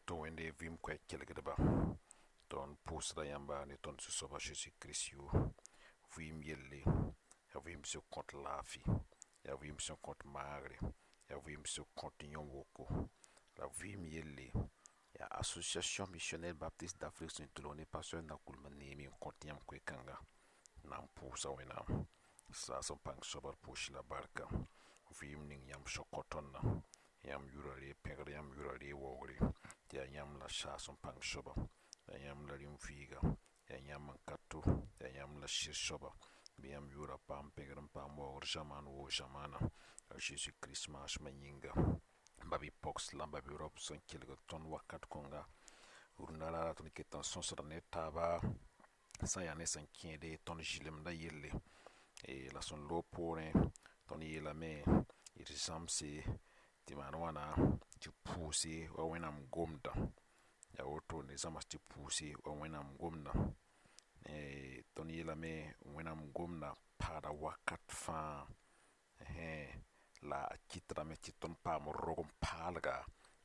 Woto Wẽnde vɩɩm koɛɛg kelgdba, tõnd pʋʋsda yãmba ne tõnd Zu-soab a Zeezi Kirist yʋʋr. Vɩɩm yelle, yaa vɩɩm sẽn kõt laafɩ, yaa vɩɩm sẽn kõt maagre, yaa vɩɩm sẽn kõt yõ-woko. La vɩɩm yelle, yaa Association Missionnaire Baptiste d'Afrique sẽn tʋlg ne pasteur Nakulma neeme n kõt yãmb koe-kãnga. Na n pʋʋsa Wẽnnaam saas n pãng soaba d pʋʋs la barka. Vɩɩm ning yãmb sẽn kõ tõndã, yãmb yʋra reeg pẽgr, yãmb yʋra reeg waoogre, tɩ yaa yãmb la saas n pãng soaba, yaa yãmb la rĩm-vɩɩga, yaa yãmb n ka to, yaa yãmb la sɩd soaba. Bɩ yãmb yʋʋra paam pẽgr n paam waoogr zamaan woo zamaana. A Zeezi Kirist maasmã yĩnga. Ba-bi-pogs la ba-bi-raop sẽn kelgd tõnd wakat kõnga, rũndã raara tõnd ket n sõsda ne taaba sã n yaa ne sẽn kẽede tõnd zɩlemdã yelle. La sẽn loog poorẽ, tõnd yeelame d zãmse tɩ maan wãna tɩ pʋʋse wa Wẽnnaam gomdã. Yaa woto ne zãms tɩ pʋʋse wa Wẽnnaam gomdã. Tõnd yeelame Wẽnnaam gomdã paada wakat fãa, la a kɩtdame tɩ tõnd paam rog-n-paalga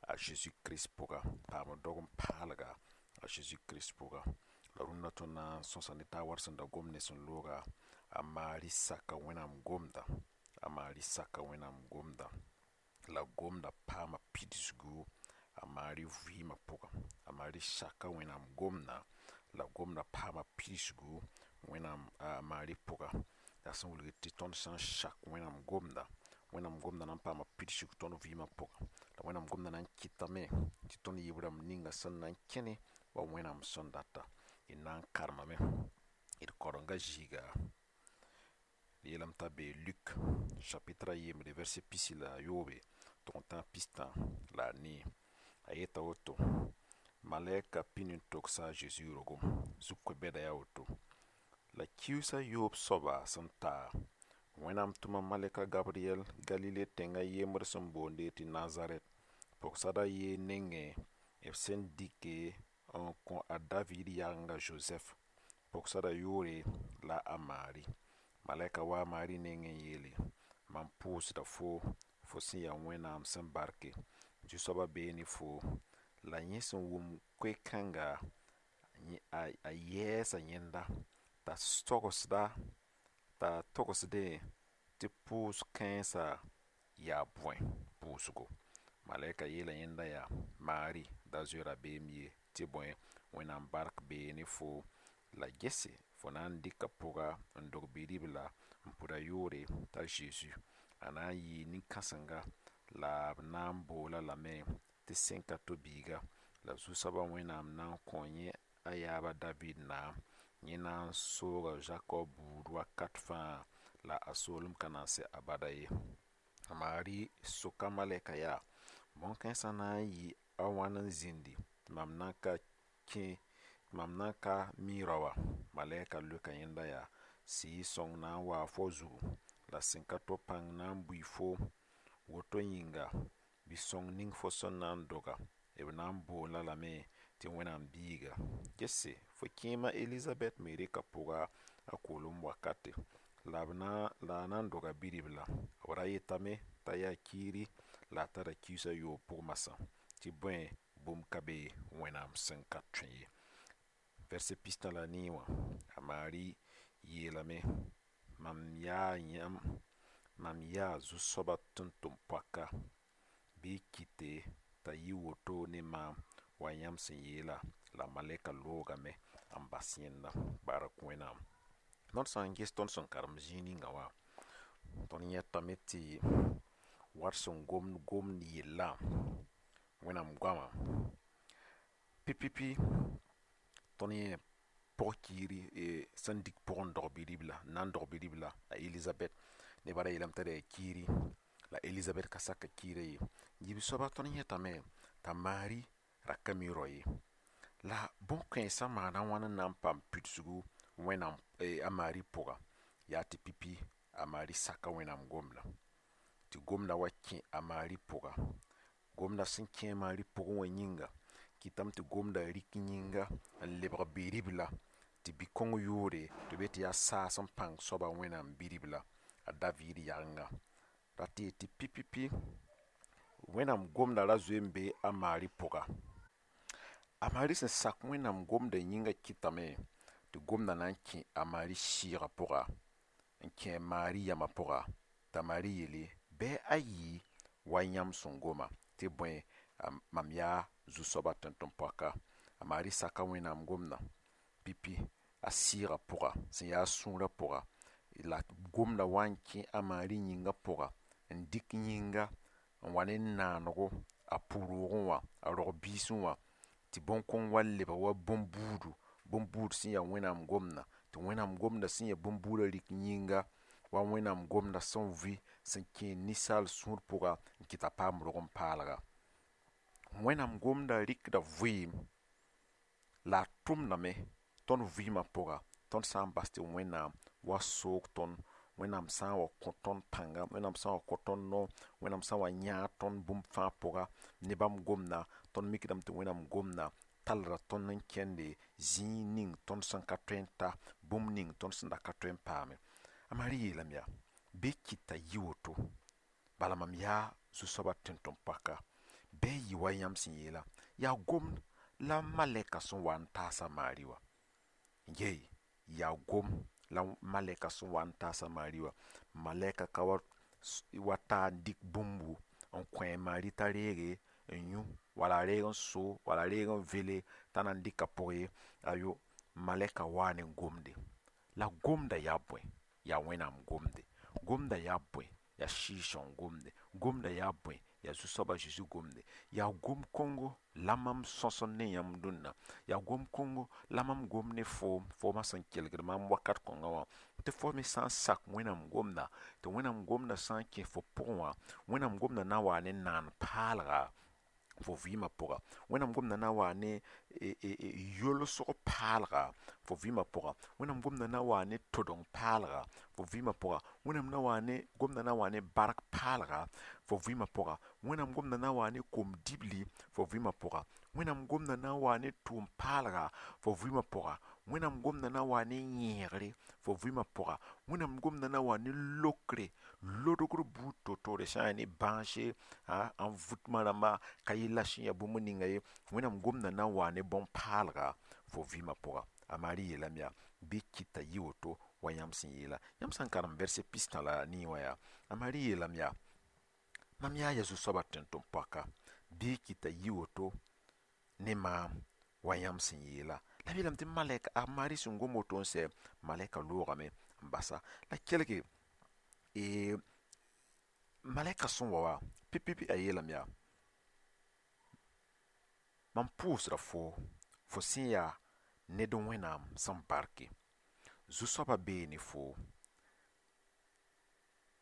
a Zeezi Kirist pʋga, paam rog-n-paalga a Zeezi Kirist pʋga. La rũndã tõnd na n sõsa ne taab wat sẽn da gom ne sẽn looga, a Maari saka Wẽnnaam gomdã, a Maari saka Wẽnnaam gomdã. La gomdã paama pidsgu a Maari vɩɩmã pʋga. A Maari saka Wẽnnaam gomdã, la gomdã paama pidsgu Wẽnnaam a Maari pʋga. La sẽn wilgd tɩ tõnd sã n sak Wẽnnaam gomdã, Wẽnnaam gomdã na n paama pidsg tõnd vɩɩmã pʋga. La Wẽnnaam gomdã na n kɩtame tɩ tõnd yɩ b rãmb ninga sẽn na n kẽne wa Wẽnnaam sẽn data. D na n karemame d karenga zĩiga, d yeelame t'a bee Luk chapitre a yembre verset pisi la a yoobe tʋg n tã pistã la a nii. A yeta woto, malɛka pĩnd n togsa a Zeezi rogem zug-koe-bɛda yaa woto. La kiusa yoob soaba sẽn ta, Wẽnnaam tʋma malɛka Gabriyɛl Galile tẽngã yembr sẽn boonde tɩ Nazarɛt, pʋgsad a ye nengẽ b sẽn dɩke n kõ a David yagenga Zozɛf. Pʋgsada yʋʋre la a Maari. Malɛka wa a Maari nengẽ n yeele: mam pʋʋsda fo, fo sẽn yaa Wẽnnaam sẽn barke, Zu-soabã bee ne fo. La yẽ sẽn wʋm koe-kãnga, a yɛɛsa yẽnda t'a togsda t'a togsdẽ tɩ pʋʋs-kãensã yaa bõe pʋʋsgo. Malɛka yeela yẽnda yaa: Maari, da zoe rabeem ye, tɩ bõe, Wẽnnaam bark bee ne fo. La gese fo na n dɩka pʋga n dog bi-ribla n pʋd a yʋʋre t'a Zeezi. A na n yɩɩ nin-kãsenga la b na n boola lame tɩ sẽn ka to biiga. La Zu-soabã Wẽnnaam na n kõ yẽ a yaab a David naam. Yẽ na n sooga Zakob buud wakat fãa, la a soolem ka na n sɛ abada ye. A Maari soka malɛka yaa: bõn-kãensã na n yɩ a wãn n zĩndi tɩ mam nan ka kẽ, tɩ mam nan ka mi rao wã? Malɛka leoka yẽnda yaa: Sɩɩg-sõng na n waa fo zugu, la sẽn ka to pãng na n bui foom. Woto yĩnga, bi-sõng ning fo sẽn na n doga, b na n boond-a lame tɩ Wẽnnaam biiga. Gese, fo kẽema Elizabɛt me reka pʋga a koolem wakate, la b na la a na n doga bi-ribla. B ra yetame t'a yaa kiiri la a tara kiis a yoob pʋg masã, tɩ bõe, bũmb ka be Wẽnnaam sẽn ka tõe ye. Verset pistã la nii wã, a Maari yeelame: mam yaa yãmb, mam yaa Zu-soabã tʋm-tʋm-poaka, bɩ kɩte t'a yɩ woto ne maam wa yãmb sẽn yeela. La malɛka loogame n bas yẽnda. Bark Wẽnnaam. Tõnd sã n ges tõnd sẽn karem zĩig ninga wã, tõnd yẽtame tɩ wat sẽn gomd gomd yellã, Wẽnnaam goamã pipipi, tõnd yẽ pʋg-kiiri sẽn dɩk pʋgẽ n dog bi-ribla, n na n dog bi-ribla, a Elizabɛt. Nebã ra yeelame t'a yaa kiiri, la Elizabɛt ka sak kiirã ye. Yiib soaba tõnd yẽtame t'a Maari ra ka mi rao ye. La bõn-kãensã maana wãn n na n paam pidsgu Wẽnnaam a Maari pʋga? Yaa tɩ pipi a Maari saka Wẽnnaam gomdã, tɩ gomdã wa kẽ a Maari pʋga. Gomdã sẽn kẽ a Maari pʋgẽ wã yĩnga, kɩtame tɩ gomdã rɩk yĩnga n lebg bi-ribla, tɩ bi-kõng yʋʋre tɩ b yet tɩ yaa saas n pãng soaba Wẽnnaam bi-ribla, a David yagenga. Rat tɩ yet tɩ pipipi Wẽnnaam gomdã ra zoe n be a Maari pʋga. A Maari sẽn sak Wẽnnaam gomdã yĩngã kɩtame tɩ gomdã na n kẽ a Maari sɩɩgã pʋga, n kẽ a Maari yamã pʋga, t'a Maari yeele bɩ a yɩ wa yãmb sẽn goma, tɩ bõe, mam yaa zu-soabã tẽn-tʋm-poaka. A Maari saka Wẽnnaam gomdã pipi a sɩɩgã pʋga, sẽn yaa a sũurã pʋga, la gomdã wa n kẽ a Maari yĩngã pʋga, n dɩk yĩnga n wa ne naanego a pʋ-roogẽ wã, a rog-biisẽ wã, tɩ bõn-kõng wa lebg wa bõn-buudu, bõn-buud sẽn yaa Wẽnnaam gomdã, tɩ Wẽnnaam gomdã sẽn yaa bõn-buudã rɩk yĩnga, wa Wẽnnaam gomdã sẽn vɩ, sẽn kẽ ninsaal sũur pʋga n kɩt t'a paam rog-n-paalga. Wẽnnaam gomdã rɩkda vɩɩm, la a tʋmdame tõnd vɩɩmã pʋga, tõnd sã n bas tɩ Wẽnnaam wa soog tõnd, Wẽnnaam sã n wa kõ tõnd pãnga, Wẽnnaam sã n wa kõ tõnd no, Wẽnnaam sã n wa yãag tõnd bũmb fãa pʋga, ne bãmb gomdã, tõnd mikdame tɩ Wẽnnaam gomdã tallda tõnd n kẽnde zĩig ning tõnd sẽn ka tõe n ta, bũmb ning tõnd sẽn da ka tõe n paame. A Maari yeelame yaa, bɩ kɩt t'a yɩ woto, bala mam yaa zu-soabã tẽn-tʋm-poaka, bɩ a yɩ wa yãmb sẽn yeela, yaa gomd la malɛka sẽn wa n taas a Maari wã. Yey, yaa gom la malɛka sẽn wa n taas a Maari wã. Malɛka ka wa ta n dɩk bũmbu n kõ a Maari t'a reege n yũ, wala a reeg n so, wala a reeg n vele t'a na n dɩka pʋg ye. Ayo, malɛka waa ne gomde. La gomdã yaa bõe? Yaa Wẽnnaam gomde. Gomdã yaa bõe? Yaa Sɩɩg-sõng gomde. Gomdã yaa bõe? Yaa Zu-soabã Zeezi gomde. Yaa gom-kongo la mam sõsd ne yãmb dũnna. Yaa gom-kongo la mam gom ne foom, foomã sẽn kelgd maam wakat kõngã wã, tɩ fo me sã n sak Wẽnnaam gomda, tɩ Wẽnnaam gomdã sã n kẽ fo pʋgẽ wã, Wẽnnaam gomdã na n waa ne naan-paalga fo vɩɩmã pʋga. Wẽnnaam gomdã na n waa ne yolsg paalga fo vɩɩmã pʋga. Wẽnnaam gomdã na n waa ne todeng paalga fo vɩɩmã pʋga. Wẽnnaam na waa ne gomdã na n waa ne bark paalga fo vɩɩmã pʋga. Wẽnnaam gomdã na n waa ne kom-dibli fo vɩɩmã pʋga. Wẽnnaam gomdã na n waa ne tʋʋm paalga fo vɩɩmã pʋga. Wẽnnaam gomdã na n waa ne yẽegre fo vɩɩmã pʋga. Wẽnnaam gomdã na n waa ne lokre, lodgr buud to-toore sã n yaa ne bãase, n vʋtmã rãmba ka yella sẽn yaa bũmb ninga ye. Wẽnnaam gomdã na n waa ne bõn-paalga fo vɩɩmã pʋga. A Maari yeelame yaa, bɩ kɩt t'a yɩ woto wa yãmb sẽn yeela. Yãmb sã n karem vɛrse pistã la nii wã yaa, a Maari yeelame yaa, mam yaa ya zu-soabã tẽn-tʋm-poaka, bɩ kɩt t'a yɩ woto ne maam wa yãmb sẽn yeela. La b yeelame tɩ malɛka, a Maari sẽn gom woto n sɛ, malɛka loogame n basa. La kelge, malɛka sẽn wa wã, pipi a yeelame yaa, mam pʋʋsda foo, fo sẽn yaa ned Wẽnnaam sẽn barke. Zu-soabã bee ne foo.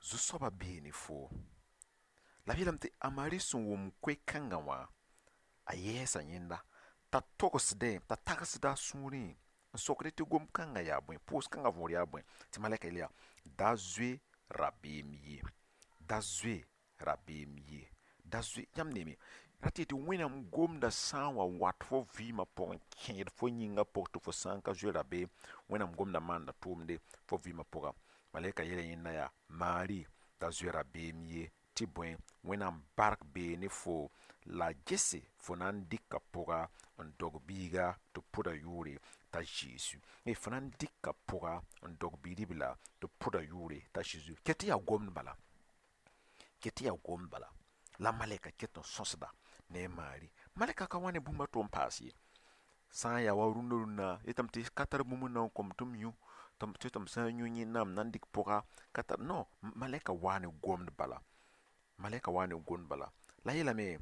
Zu-soabã bee ne foo. La b yeelame tɩ a Maari sẽn wʋm koe-kãngã wã, a yɛɛsa yẽnda, t'a togsdẽ, t'a tagsda a sũurẽ n sokd tɩ gom-kãngã yaa bõe, pʋʋs-kãngã võor yaa bõe. Tɩ malɛka yeel yaa, da zoe rabeem ye, da zoe rabeem ye, da zoe. Yãmb neeme, ra tɩ tɩ Wẽnnaam gomdã sã n wa wat fo vɩɩmã pʋgẽ n kẽed fo yĩngã pʋg tɩ fo sã n ka zoe rabeem, Wẽnnaam gomdã maanda tʋʋmde fo vɩɩmã pʋga. Malɛka yeela yẽnda yaa, Maari, da zoe rabeem ye, tɩ bõe, Wẽnnaam bark bee ne fo, la gese fo na n dɩka pʋga n dog biiga tɩ pʋda yʋʋre t'a Zeezi. Fo na n dɩka pʋga n dog bi-ribla tɩ pʋda yʋʋre t'a Zeezi. Ket tɩ yaa gomd bala, ket tɩ yaa gomd bala. La malɛka ket n sõsda ne a Maari. Malɛka ka wa ne bũmb a to n paas ye. Sã n yaa wa rũndã rũndã, yetame tɩ ka tar bũmb n na n kom tɩ m yũ, tɩ m sã n yũ yẽnda m na n dɩk pʋga, ka tar. Non, malɛka waa ne gomd bala. Malɛka waa ne gomd bala. La yeelame,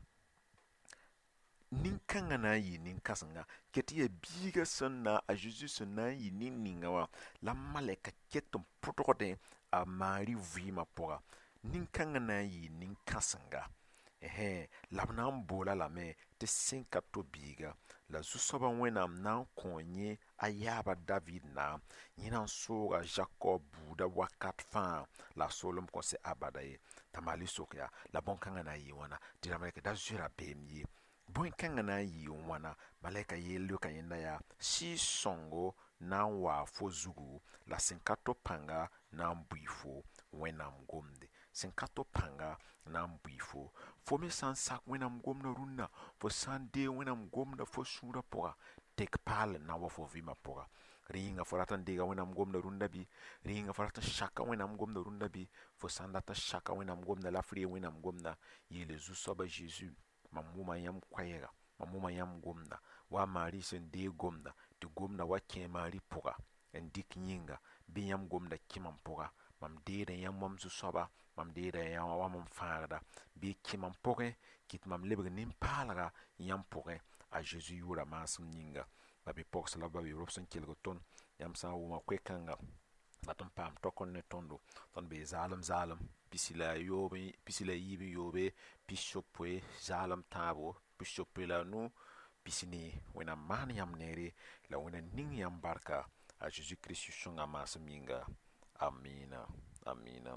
nin-kãngã na n yɩ nin-kãsenga, ket tɩ yaa biigã sẽn na, a Zeezi sẽn na n yɩ nin-ninga wã, la malɛka ket n pʋdgdẽ a Maari vɩɩmã pʋga. Nin-kãngã na n yɩ nin-kãsenga. La b na n boola lame tɩ sẽn ka to biiga. La zu-soabã Wẽnnaam na n kõ yẽ a yaaba David naam, yẽ na n sooga Zakob buudã wakat fãa, la a soolem kõn sɛ abada ye. T'a Maari sok yaa, la bõn-kãngã na n yɩ wãna? Tɩ la malɛka da zoe rabeem ye. Bõn-kãngã na n yɩ wãna? Malɛka yeel leoka yẽnda yaa, Sɩɩg-sõngo na n waa fo zugu, la sẽn ka to pãnga na n bʋɩ fo Wẽnnaam gomde. Sẽn ka to pãnga na n bʋɩ fo. Fo me sã n sak Wẽnnaam gomdã rũnnã, fo sã n deeg Wẽnnaam gomdã fo sũurã pʋga, tek paal n na n wa fo vɩɩmã pʋga. Rẽ yĩnga fo rat n deega Wẽnnaam gomdã rũndã bɩ? Rẽ yĩnga fo rat n saka Wẽnnaam gomdã rũndã bɩ? Fo sã n dat n saka Wẽnnaam gomdã la f reeg Wẽnnaam gomdã, yeele Zu-soaba Zeezi, mam wʋma yãmb koɛɛga, mam wʋma yãmb gomdã, wa a Maari sẽn deeg gomdã, tɩ gomdã wa kẽ a Maari pʋga n dɩk yĩnga, bɩ yãmb gomdã kẽ mam pʋga. Mam deeda yãmb wa m zu-soaba, mam deeda yãmb wa mam fãagda, bɩ kẽ mam pʋgẽ, kɩt mam lebg nin-paalga yãmb pʋgẽ, a Zeezi yʋʋra maasem yĩnga. Ba-bi-pogs la ba-bi-rob sẽn kelg tõnd, yãmb sã n wʋma koe-kãnga dat n paam taokr ne tõndo, tõnd bee zaalem zaalem pisi la yoobe, pisi la yiib n yoobe, 60 zaalem tãabo, 65 40. Wẽnnaam maan yãmb neere la Wẽnnaam ning yãmb barka, a Zeezi Kirist sõnga maasem yĩnga. Amina, amina.